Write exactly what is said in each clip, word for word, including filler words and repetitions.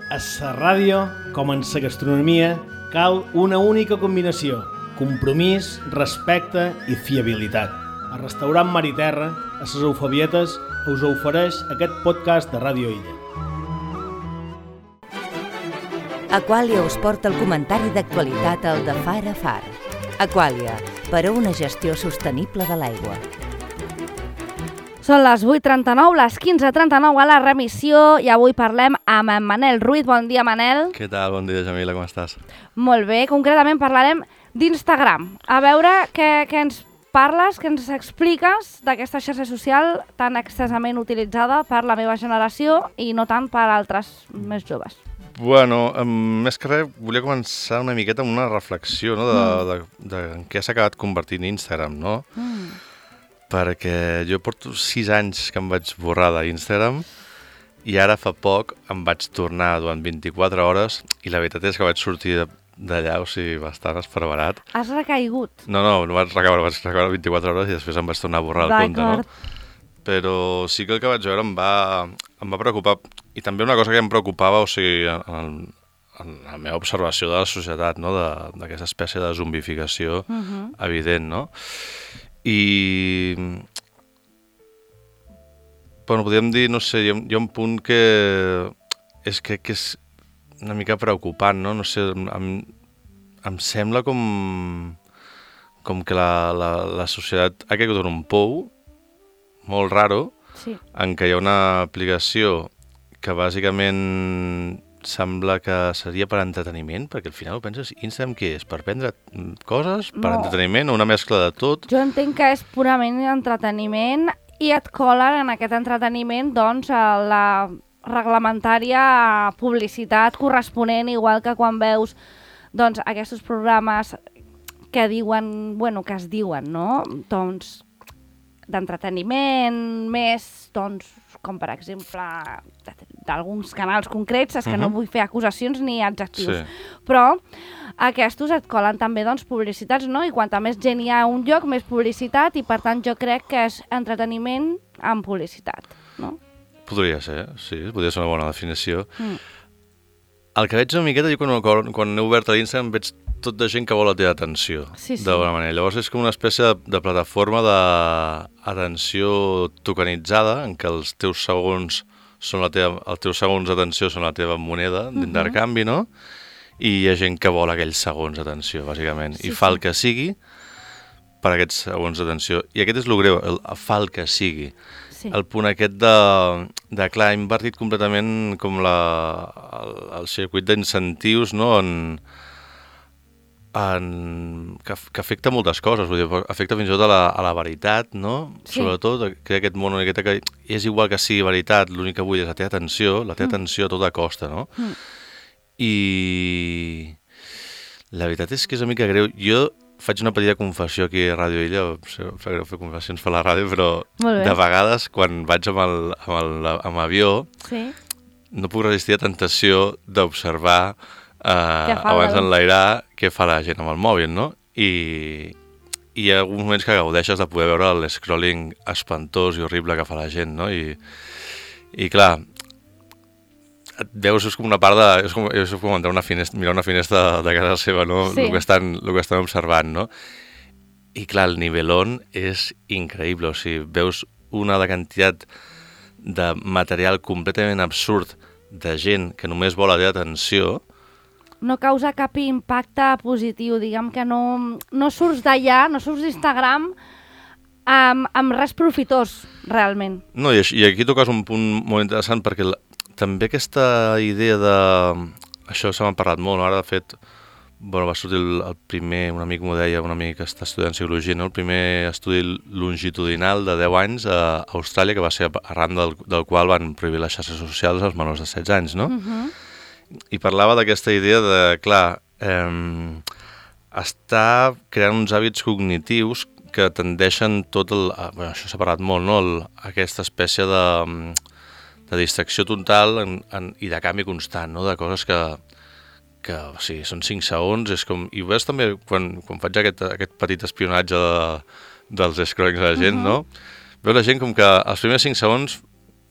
A la ràdio, com en la gastronomia, cal una única combinació: compromís, respecte i fiabilitat. El restaurant Mar i Terra, a les Eufabietes, us ofereix aquest podcast de Ràdio Illa. Aquàlia us porta el comentari d'actualitat al de Far a Far. Aquàlia, per a una gestió sostenible de l'aigua. Són les vuit trenta-nou, les quinze trenta-nou a la remissió i avui parlem amb en Manel Ruiz. Bon dia, Manel. Què tal? Bon dia, Jamila, com estàs? Molt bé, concretament parlarem d'Instagram. A veure què, què ens parles, què ens expliques d'aquesta xarxa social tan extensament utilitzada per la meva generació i no tant per altres més joves. Bueno, més que res, volia començar una miqueta amb una reflexió, no?, de, Mm. de, de, de en què s'ha acabat convertint Instagram, no? Mm. Perquè jo porto sis anys que em vaig borrar d'Instagram i ara fa poc em vaig tornar durant vint-i-quatre hores i la veritat és que vaig sortir d'allà, o sigui, bastant esparverat. Has recaigut? No, no, no vaig recaure, vaig recaure vint-i-quatre hores i després em vaig tornar a borrar el compte, no? Però sí que el que vaig veure em va, em va preocupar, i també una cosa que em preocupava, o sigui, en, en la meva observació de la societat, no?, d'aquesta espècie de zombificació Uh-huh. evident, no? I, bueno, podríem dir, no sé, hi ha, hi ha un punt que és que, que és una mica preocupant, no? No sé, em, em sembla com, com que la, la, la societat ha caigut en un pou molt raro, Sí. en què hi ha una aplicació que bàsicament sembla que seria per entreteniment, perquè al final ho penses, Instagram què és? Per prendre coses? Per No. entreteniment? Una mescla de tot? Jo entenc que és purament entreteniment i et colen en aquest entreteniment doncs a la reglamentària publicitat corresponent, igual que quan veus doncs aquests programes que diuen, bueno, que es diuen, no? Doncs d'entreteniment, més, doncs, com per exemple d'alguns canals concrets, és que uh-huh. no vull fer acusacions ni adjectius, Sí. però aquests et colen també doncs, publicitats, no? I quanta més gent hi ha a un lloc, més publicitat, i per tant jo crec que és entreteniment amb publicitat, no? Podria ser, sí, podria ser una bona definició. Mm. El que veig una miqueta, jo quan, quan he obert l'Instagram veig tot de gent que vol la teva atenció, Sí, sí. d'alguna manera. Llavors és com una espècie de, de plataforma d'atenció tokenitzada, en què els teus segons són la teva, els teus segons d'atenció són la teva moneda d'intercanvi, no? I hi ha gent que vol aquells segons d'atenció, bàsicament, Sí, i fa sí. el que sigui per aquests segons d'atenció. I aquest és el greu, el, el fa el que sigui. Sí. El punt aquest de, de clar, ha invertit completament com la, el, el circuit d'incentius, no?, en, en, que, que afecta moltes coses, vull dir, afecta fins i tot a la, a la veritat, no? Sí. Sobretot, que aquest món una miqueta que és igual que sigui veritat, l'únic que vull és la teva atenció, la teva Mm. atenció a tota costa, no? Mm. I la veritat és que és una mica greu. Jo faig una petita confessió aquí a Ràdio Illa, em fa greu fer confessions per la ràdio, però Molt bé. de vegades quan vaig amb, el, amb, el, amb avió Sí. no puc resistir la tentació d'observar eh, Què fa abans la- d'enlairar què fa la gent amb el mòbil, no? I, i hi ha alguns moments que gaudeixes de poder veure l'escrolling espantós i horrible que fa la gent, no? I, i clar, et veus, és com una part de... És com, és com entrar una finestra, mirar una finestra de casa seva, no? Sí. El que estan, el que estan observant, no? I clar, el nivelón és increïble, o sigui, veus una de quantitat de material completament absurd de gent que només vol la teva atenció. No causa cap impacte positiu, diguem que no, no surts d'allà, no surts d'Instagram amb, amb res profitós, realment. No, i, i aquí toques un punt molt interessant perquè la, també aquesta idea de... Això se m'ha parlat molt, no? Ara de fet, bueno, va sortir el, el primer, un amic m'ho deia, un amic que està estudiant psicologia, no? El primer estudi longitudinal de deu anys a Austràlia, que va ser arran del, del qual van prohibir les xarxes socials als menors de setze anys, no? Uh-huh. I parlava d'aquesta idea de, clar, eh, està creant uns hàbits cognitius que tendeixen tot el... Bueno, això s'ha parlat molt, no? El, aquesta espècie de, de distracció total en, en, i de canvi constant, no? De coses que, que o sigui, són cinc segons, és com... I ho veus també quan, quan faig aquest, aquest petit espionatge de, dels scrollings de la gent, Uh-huh. no? Veus la gent com que els primers cinc segons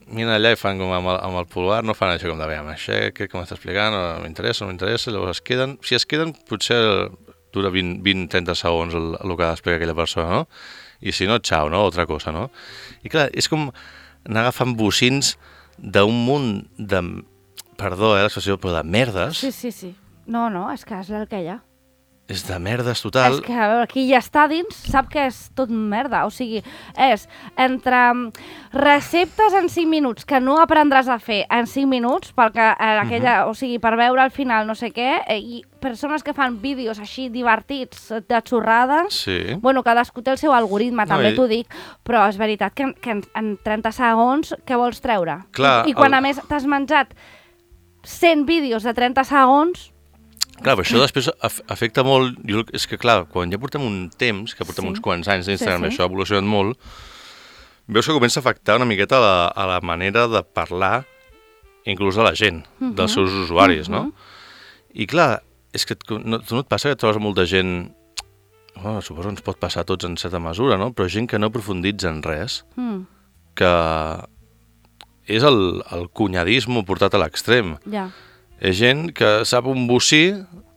miren allà i fan com amb el, amb el pulgar, no fan això com de veure, això que, que m'està explicant, no m'interessa, no m'interessa, llavors es queden, si es queden potser dura vint a trenta segons el, el que ha d'explicar aquella persona, no? I si no, xau, no? Altra cosa, no? I clar, és com anar agafant bocins d'un munt de, perdó, eh, l'expressió, però de merdes. Sí, sí, sí. No, no, és que és el que hi ha. És de merdes total. És que, a veure, qui ja està dins sap que és tot merda. O sigui, és entre receptes en cinc minuts que no aprendràs a fer en cinc minuts, perquè eh, aquella, uh-huh. o sigui, per veure al final no sé què, eh, i persones que fan vídeos així divertits, de xorrades, sí. Bueno, cadascú té el seu algoritme, No, també i- t'ho dic, però és veritat que, que en, en trenta segons què vols treure? Clar, I, I quan el- a més t'has menjat cent vídeos de trenta segons, Clar, però això després af afecta molt... Jo, és que, clar, quan ja portem un temps, que portem Sí. uns quants anys d'Instagram, Sí, sí. i això ha evolucionat molt, veus que comença a afectar una miqueta la, a la manera de parlar, inclús a la gent, dels seus usuaris, no? I clar, és que et, no, tu no et passa que et trobes molta gent... Bueno, suposo que ens pot passar a tots en certa mesura, no? Però gent que no profunditza en res, mm, que és el, el cunyadisme portat a l'extrem. ja. És gent que sap un bocí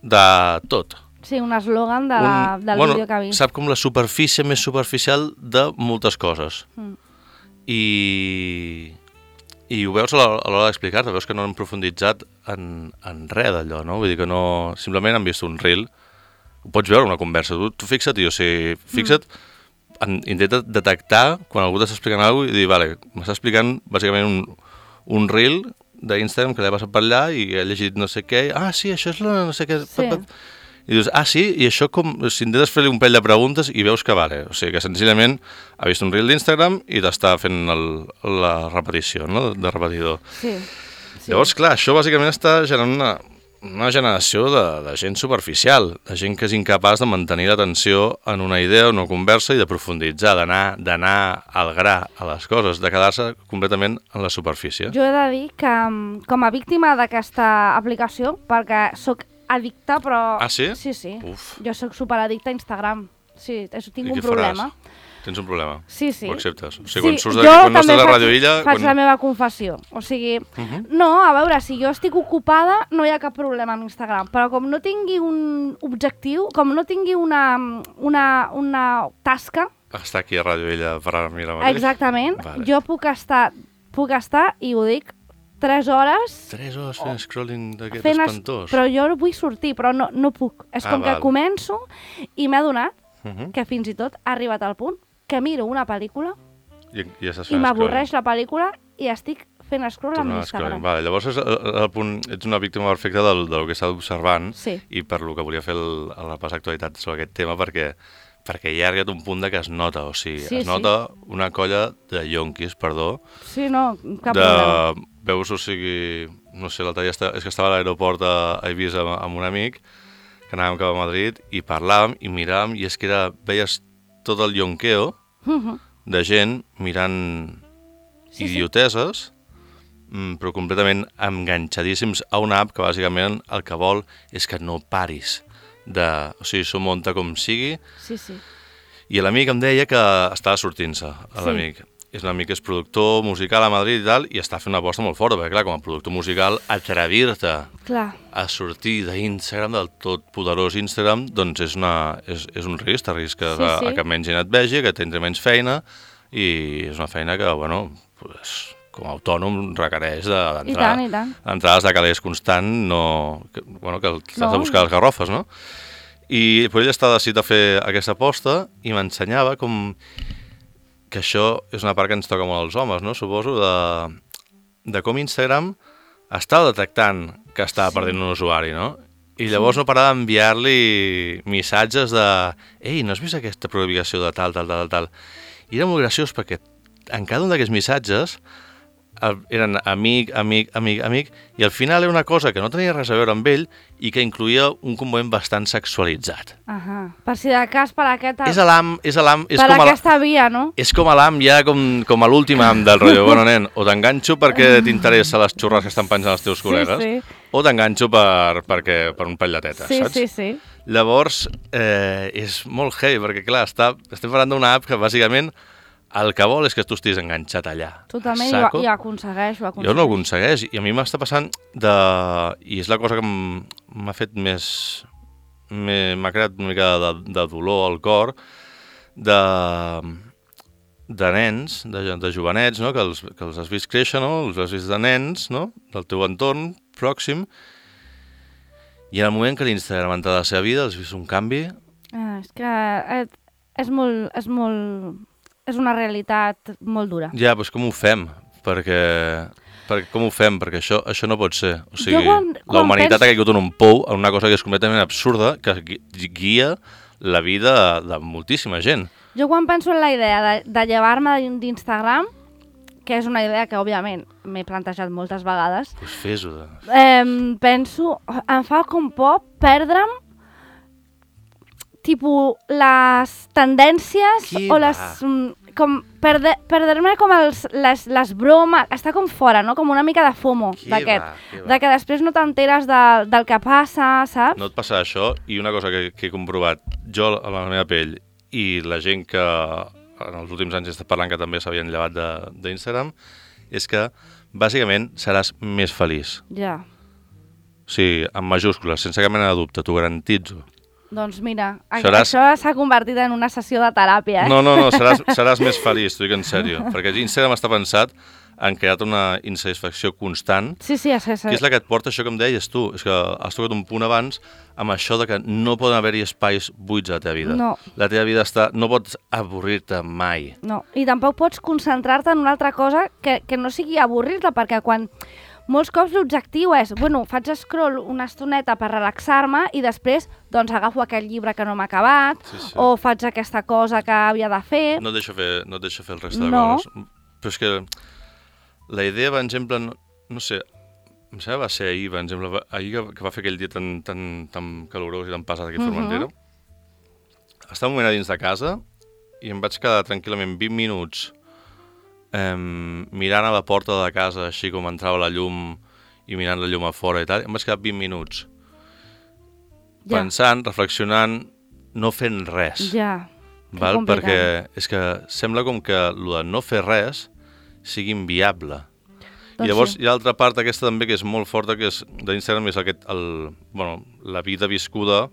de tot. Sí, un eslògan de la, Un- del bueno, vídeo que ha vist. sap com la superfície més superficial de moltes coses. Mm. I, i ho veus a l'hora a l'hora d'explicar-te, veus que no han profunditzat en, en res d'allò, no? Vull dir que no... Simplement han vist un reel, ho pots veure una conversa, tu, tu fixa't, i, o sigui, fixa't, mm. en, intenta detectar quan algú t'està explicant alguna cosa i dir, vale, m'està explicant bàsicament un, un reel d'Instagram que l'he passat per allà i he llegit no sé què, ah, sí, això és la no sé què... Sí. I dius, ah, sí? I això com... Si intentes fer-li un pell de preguntes i veus que vale. O sigui, que senzillament ha vist un reel d'Instagram i t'està fent el, la repetició, no?, de repetidor. Sí. sí. Llavors, clar, això bàsicament està generant una, una generació de, de gent superficial, de gent que és incapaç de mantenir l'atenció en una idea, en una conversa i de profunditzar, d'anar d'anar al gra a les coses, de quedar-se completament en la superfície. Jo he de dir que, mm, com a víctima d'aquesta aplicació, perquè sóc addicta, però... Ah, sí? Sí, sí. Uf. Jo sóc superaddicta a Instagram. Sí, això tinc I un què problema. faràs? Tens un problema? Sí, sí. Ho acceptes? O sigui, quan Sí, surts jo de, quan no també estàs a faig- Ràdio Illa... Faig Quan... la meva confessió. O sigui, Mhm. no, a veure, si jo estic ocupada no hi ha cap problema amb Instagram, però com no tingui un objectiu, com no tingui una, una, una tasca, Està aquí a Ràdio Illa per ara mira mateix? exactament, Vale. jo puc estar, puc estar, i ho dic, tres hores Tres hores fent scrolling d'aquest fent... es- espantós. Però jo vull sortir, però no, no puc. És Ah, com que val. començo i m'he adonat Mhm. que fins i tot ha arribat al punt que miro una pel·lícula I, i ja estàs i fent m'avorreix la pel·lícula i estic fent scroll amb Tornar a Instagram. scrolling. Vale, llavors és el, el punt, ets una víctima perfecta del, del que està observant Sí. i per lo que volia fer el, el repàs d'actualitat sobre aquest tema perquè perquè ja ha arribat un punt de que es nota, o sigui, Sí, es nota una colla de yonquis, perdó, Sí, no, cap de... problema. Veus, o sigui, no sé, l'altre dia està, és que estava a l'aeroport a, a Eivissa amb, amb un amic, que anàvem cap a Madrid, i parlàvem i miràvem, i és que era, veies tot el yonqueo Mhm. de gent mirant Sí, sí. idioteses, mm, però completament enganxadíssims a una app que bàsicament el que vol és que no paris de... O sigui, s'ho munta com sigui, Sí, sí. i l'amic em deia que estava sortint-se, Sí. l'amic. És un amic que és productor musical a Madrid i tal, i està fent una aposta molt forta, perquè clar, com a productor musical, atrevir-te Clar. a sortir d'Instagram, del tot poderós Instagram, doncs és, una, és, és un risc, t'arrisques Sí, a, sí. a que menys gent et vegi, que tindrà menys feina, i és una feina que, bueno, pues, com a autònom requereix I tant, d'entrar i tant. entrades de calés constant, no, que, bueno, que t'has No. de buscar les garrofes, no? I però ell està decidit a fer aquesta aposta i m'ensenyava com que això és una part que ens toca molt als homes, no? Suposo, de, de com Instagram està detectant que està Sí. perdent un usuari, no? I llavors no parar d'enviar-li missatges de «Ei, no has vist aquesta publicació de tal, tal, tal, tal?» I era molt graciós perquè en cada un d'aquests missatges el- eren amic, amic, amic, amic, i al final era una cosa que no tenia res a veure amb ell i que incluïa un component bastant sexualitzat. Ahà. Per si de cas, per aquesta, És a l'am, és a l'am, és per com a la- aquesta via, no? és com a l'am ja com, com a l'últim am del rotllo. Bueno, nen, o t'enganxo perquè t'interessa les xurres que estan penjant els teus col·legues, Sí, sí. o t'enganxo per, perquè, per un pell de teta, Sí, saps? sí, sí. Llavors, eh, és molt heavy, perquè clar, està, estem parlant d'una app que bàsicament el que vol és que tu estiguis enganxat allà. Totalment, i ho, i ho aconsegueix, ho aconsegueix. Jo no ho aconsegueix, i a mi m'està passant de... I és la cosa que m'ha fet més... m'ha creat una mica de, de dolor al cor, de, de nens, de, de jovenets, no? que, els, que els has vist créixer, no? Els has vist de nens, no? Del teu entorn pròxim, i en el moment que l'Instagram ha entrat a la seva vida, has vist un canvi... Ah, és que és, és molt... És molt... És una realitat molt dura. Ja, doncs com ho fem? Perquè, perquè com ho fem? Perquè això, això no pot ser. O sigui, quan, quan la humanitat penso... ha caigut en un pou, en una cosa que és completament absurda, que guia la vida de moltíssima gent. Jo quan penso en la idea de, de llevar-me d'Instagram, que és una idea que, òbviament, m'he plantejat moltes vegades, Doncs fes-ho. De... eh, penso, em fa com por perdre'm tipus les tendències Qui o va? les... com perde, perdre-me com els, les, les bromes, està com fora, no? Com una mica de FOMO d'aquest, de que després no t'enteres de, del que passa, saps? No et passa això, i una cosa que, que he comprovat jo a la meva pell i la gent que en els últims anys he estat parlant que també s'havien llevat d'Instagram, és que bàsicament seràs més feliç. Ja. O sigui, en majúscules, sense cap mena de dubte, t'ho garantitzo. Doncs mira, Seràs... això s'ha convertit en una sessió de teràpia, eh? No, no, no, seràs, seràs més feliç, t'ho dic en sèrio, perquè Instagram està pensat en crear una insatisfacció constant, sí, sí, sí, sí. que és la que et porta això que em deies tu, és que has tocat un punt abans amb això de que no poden haver-hi espais buits a la teva vida. No. La teva vida està... no pots avorrir-te mai. No, i tampoc pots concentrar-te en una altra cosa que, que no sigui avorrir-te, perquè quan... Molts cops l'objectiu és, bueno, faig scroll una estoneta per relaxar-me i després doncs agafo aquell llibre que no m'ha acabat, sí, sí. o faig aquesta cosa que havia de fer... No et deixo fer, no et deixo fer el reste de no. coses. Però és que la idea, per exemple, no, no sé, em sembla va ser ahir, per exemple, ahir que, que va fer aquell dia tan, tan, tan calorós i tan passat aquí a Formentera, uh-huh. estava un moment a dins de casa i em vaig quedar tranquil·lament vint minuts Um, mirant a la porta de la casa, així com entrava la llum i mirant la llum a fora i tal, em vaig quedar vint minuts ja. pensant, reflexionant, no fent res. Ja, val? Perquè és que sembla com que el de no fer res sigui inviable. Doncs I llavors sí. hi ha l'altra part aquesta també que és molt forta, que és d'Instagram, és aquest, el, bueno, la vida viscuda.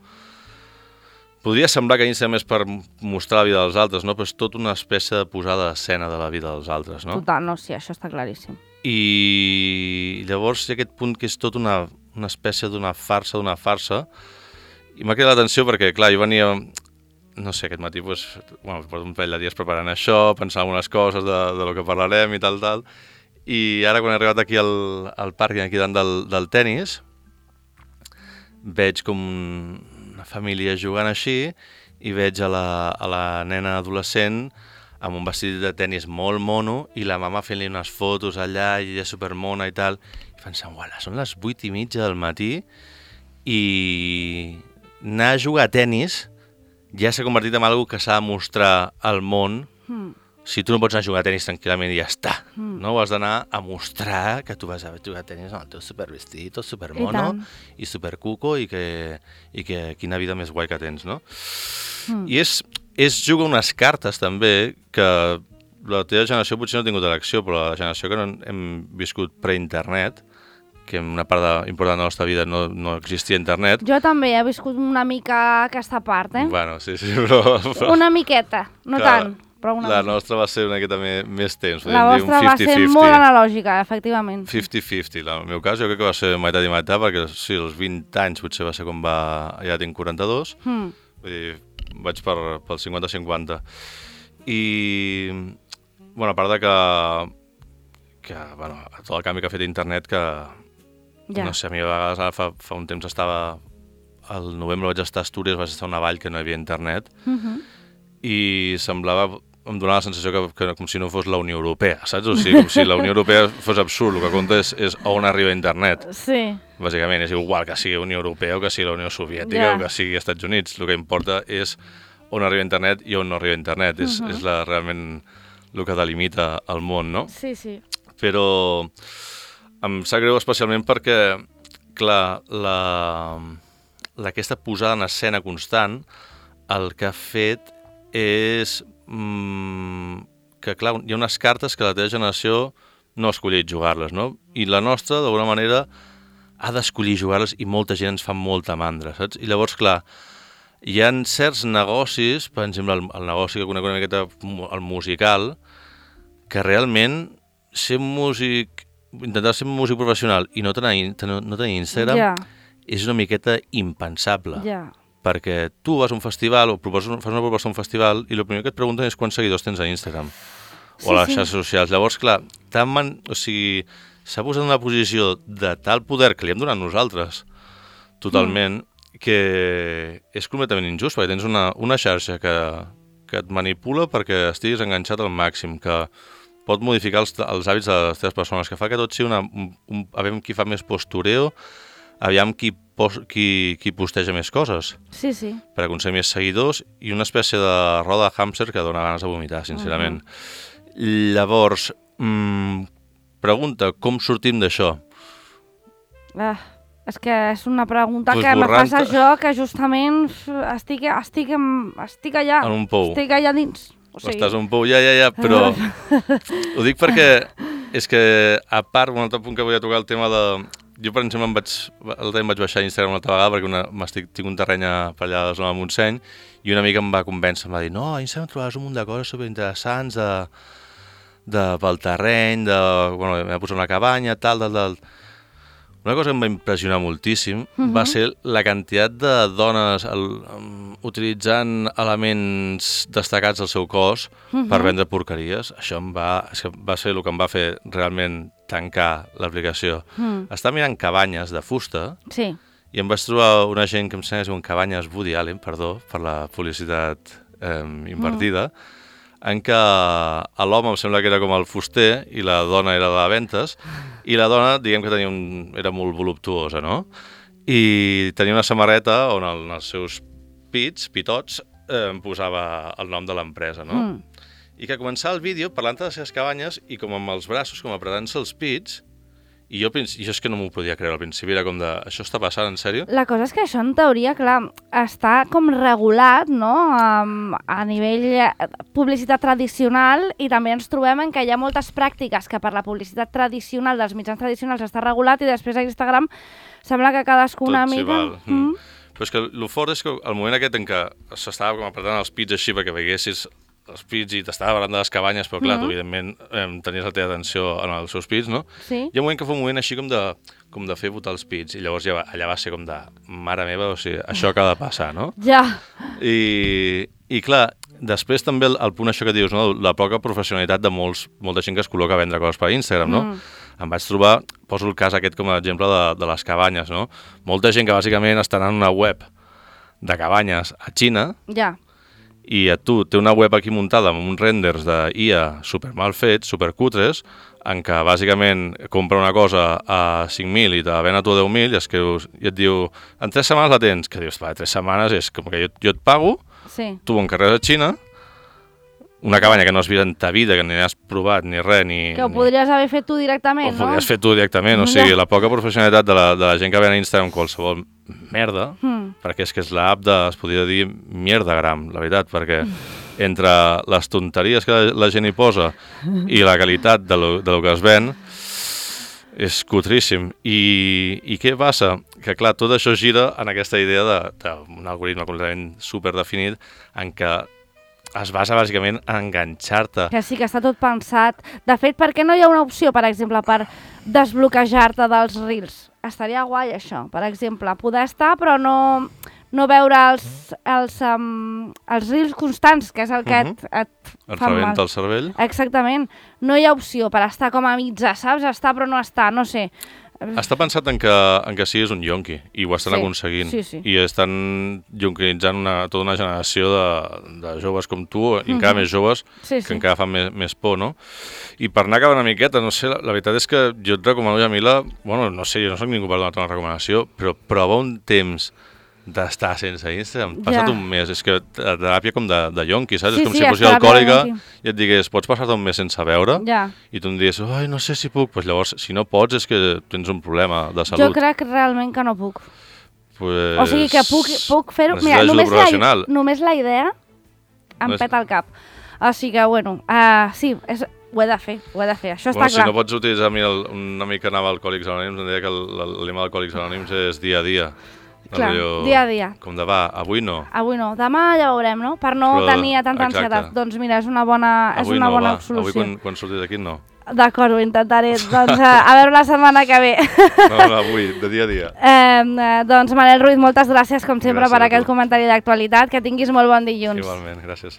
Podria semblar que Instagram és per mostrar la vida dels altres, no? Però és tota una espècie de posada d'escena de la vida dels altres, no? Total, no, sí, això està claríssim. I llavors hi ha aquest punt que és tot una, una espècie d'una farsa, d'una farsa, i m'ha cridat l'atenció perquè, clar, jo venia, no sé, aquest matí, doncs, bueno, porto un parell de dies preparant això, pensant algunes coses de, de lo que parlarem i tal, tal, i ara quan he arribat aquí al, al pàrquing, aquí davant del, del tennis, veig com una família jugant així i veig a la, a la nena adolescent amb un vestit de tenis molt mono i la mama fent-li unes fotos allà i ella supermona i tal, i pensant, uala, són les vuit i mitja del matí i anar a jugar a tenis ja s'ha convertit en algo que s'ha de mostrar al món. Mm. Si tu no pots anar a jugar a tenis tranquil·lament i ja està, mm. no? Has d'anar a mostrar que tu vas a jugar a tenis amb el teu supervestit, tot supermono i, i supercuco i que, i que quina vida més guai que tens, no? Mm. I és, és jugar unes cartes també que la teva generació potser no ha tingut elecció, però la generació que no hem viscut pre-internet, que en una part de, important de la nostra vida no, no existia internet. Jo també he viscut una mica aquesta part, eh? Bueno, sí, sí, però... però... Una miqueta, no clar, tant. Però una la mica. nostra va ser una miqueta més, més temps. La vostra va ser molt analògica, efectivament. cinquanta cinquanta. En el meu cas jo crec que va ser meitat i meitat, perquè sí, als vint anys potser va ser quan va... Ja tinc quaranta-dos, mm. vull dir, vaig per, pel cinquanta cinquanta. I, bueno, a part de que, que bueno, tot el canvi que ha fet internet, que, ja. no sé, a mi a vegades ara fa, fa un temps estava... Al novembre vaig estar a Astúries, vaig estar a una vall que no hi havia internet, mm-hmm. i semblava, em donava la sensació que, que com si no fos la Unió Europea, saps? O sigui, com si la Unió Europea fos absurd, el que compta és, és on arriba internet. Sí. Bàsicament, és igual que sigui Unió Europea o que sigui la Unió Soviètica yeah. o que sigui Estats Units. El que importa és on arriba internet i on no arriba internet. Uh-huh. És, és la, realment el que delimita el món, no? Sí, sí. Però em sap greu especialment perquè, clar, la, la aquesta posada en escena constant el que ha fet és mm, que, clar, hi ha unes cartes que la teva generació no ha escollit jugar-les, no? I la nostra, d'alguna manera, ha d'escollir jugar-les i molta gent ens fa molta mandra, saps? I llavors, clar, hi ha certs negocis, per exemple, el, el negoci que conec una miqueta, el musical, que realment ser músic, intentar ser músic professional i no tenir, no, no tenir Instagram Ja. és una miqueta impensable. Ja. Perquè tu vas a un festival o proposes, fas una proposta a un festival i el primer que et pregunten és quants seguidors tens a Instagram Sí, o a les sí. xarxes socials. Llavors, clar, tan man... o sigui, s'ha posat en una posició de tal poder que li hem donat nosaltres totalment mm. que és completament injust, perquè tens una, una xarxa que, que et manipula perquè estiguis enganxat al màxim, que pot modificar els, els hàbits de les teves persones, que fa que tot sigui una... Un, un, aviam qui fa més postureo, aviam qui, pos, qui, qui posteja més coses Sí, sí. per aconseguir més seguidors i una espècie de roda de hàmster que dona ganes de vomitar, sincerament. Uh-huh. Llavors, mmm, pregunta, com sortim d'això? Ah, és que és una pregunta Pues que me borrant- fas a jo, que justament estic, estic, en, estic allà. En un pou. Estic allà dins. O sigui, Estàs a un pou, ja, ja, ja, però ho dic perquè és que, a part, un altre punt que volia tocar el tema de... Jo, per exemple, em vaig, el temps vaig baixar a Instagram una altra vegada perquè una, m'estic, tinc un terreny a- per allà a la zona de Montseny i una amiga em va convèncer, em va dir no, a Instagram trobaràs un munt de coses superinteressants de, de, pel terreny, de, bueno, m'he posat una cabanya, tal, tal, tal. Una cosa que em va impressionar moltíssim uh-huh. va ser la quantitat de dones el, um, utilitzant elements destacats del seu cos uh-huh. per vendre porqueries. Això em va, és que va ser el que em va fer realment tancar l'aplicació. Uh-huh. Estava mirant cabanyes de fusta Sí. i em vaig trobar una gent que em sembla que es diuen cabanyes Woody Allen, perdó per la publicitat eh, invertida, uh-huh. en què l'home em sembla que era com el fuster i la dona era la de ventes i la dona, diguem que tenia un, era molt voluptuosa, no? I tenia una samarreta on el, en els seus pits, pitots, eh, em posava el nom de l'empresa, no? Mm. I que començava el vídeo parlant de les seves cabanyes i com amb els braços, com apretant-se els pits, i jo, jo és que no m'ho podia creure al principi, era com de, això està passant, en sèrio? La cosa és que això, en teoria, clar, està com regulat, no?, um, a nivell eh, publicitat tradicional, i també ens trobem en que hi ha moltes pràctiques que per la publicitat tradicional dels mitjans tradicionals està regulat i després a Instagram sembla que cadascú una Tot s'hi mica... val. Mm. Però és que el fort és que el moment aquest en què s'estava com apretant els pits així perquè veiessis els pits i t'estava parlant de les cabanyes, però clar, mm-hmm. tu evidentment eh, tenies la teva atenció en els seus pits, no? Sí. Hi ha un moment que fa un moment així com de, com de fer botar els pits, i llavors ja va, allà va ser com de, mare meva, o sigui, això acaba de passar, no? Ja. I, i clar, després també el, el punt això que dius, no? La poca professionalitat de molts, molta gent que es col·loca a vendre coses per Instagram, no? Mm. Em vaig trobar, poso el cas aquest com a exemple de, de les cabanyes, no? Molta gent que bàsicament està en una web de cabanyes a Xina, Ja. i a tu té una web aquí muntada amb uns renders d'I A super mal fets, super cutres, en què bàsicament compra una cosa a cinc mil i te la ven a tu a deu mil i, es creus, i et diu, en tres setmanes la tens, que dius, va, tres setmanes és com que jo, jo et pago, Sí. tu ho encarregues a Xina, una cabanya que no has vist en ta vida, que ni has provat ni res, ni... Que ho ni... podries haver fet tu directament, Ho no? podries fer tu directament, o sigui, la poca professionalitat de la, de la gent que ven a Instagram qualsevol merda, mm. perquè és que és l'app de, es podria dir, mierdagram, la veritat, perquè entre les tonteries que la, la gent hi posa i la qualitat de lo, de lo que es ven, és cutríssim. I, I què passa? Que, clar, tot això gira en aquesta idea d'un algoritme completament superdefinit en què es basa bàsicament en enganxar-te. Que sí, que està tot pensat. De fet, per què no hi ha una opció, per exemple, per desbloquejar-te dels reels? Estaria guai, això. Per exemple, poder estar, però no, no veure els, els, um, els reels constants, que és el que Uh-huh. et, et Et fa mal. rebenta el cervell. Exactament. No hi ha opció per estar com a mitja, saps? Estar però no estar, no sé. Està pensat en que, en que siguis un yonqui, i ho estan Sí, aconseguint. sí, sí. I estan yonquinitzant una, tota una generació de, de joves com tu, i encara Mhm. més joves, Sí, que sí. encara fan més, més por, no? I per anar acabant una miqueta, no sé, la, la veritat és que jo et recomano, Jamila, bueno, no sé, jo no soc ningú per donar-te una recomanació, però prova un temps d'estar sense Instagram. Passa't Ja. un mes, és que la teràpia com de, de yonqui, saps? Sí, és com sí, si és fossis teràpia de alcohòlica yonqui. i et digués, pots passar-te un mes sense veure? Ja. I tu em digues, ai, no sé si puc. Pues llavors, si no pots, és que tens un problema de Jo salut. crec realment que no puc. Pues... O sigui que puc, puc fer-ho... necessites ajuda només la, professional. només la idea em No és- peta el cap. Així que, bueno, uh, sí, és, ho he de fer, ho he de fer, això bueno, està si clar. no pots utilitzar a mi el, una mica anar a Alcohòlics Anònims, em diria que el lema d'Alcohòlics Anònims és dia a dia. Clar, Allò, dia a dia. Com de va, avui no. Avui no, demà ja veurem, no? Per no Però, tenir tanta exacte. ansietat. Doncs mira, és una bona, és Avui una no, bona va. solució. Avui quan, quan surtis d'aquí no. D'acord, ho intentaré. Doncs a, a veure la setmana que ve. No, no, avui, de dia a dia. Eh, eh, doncs Manel Ruiz, moltes gràcies com sempre Gràcies per a aquest tu. comentari d'actualitat. Que tinguis molt bon dilluns. Igualment, gràcies.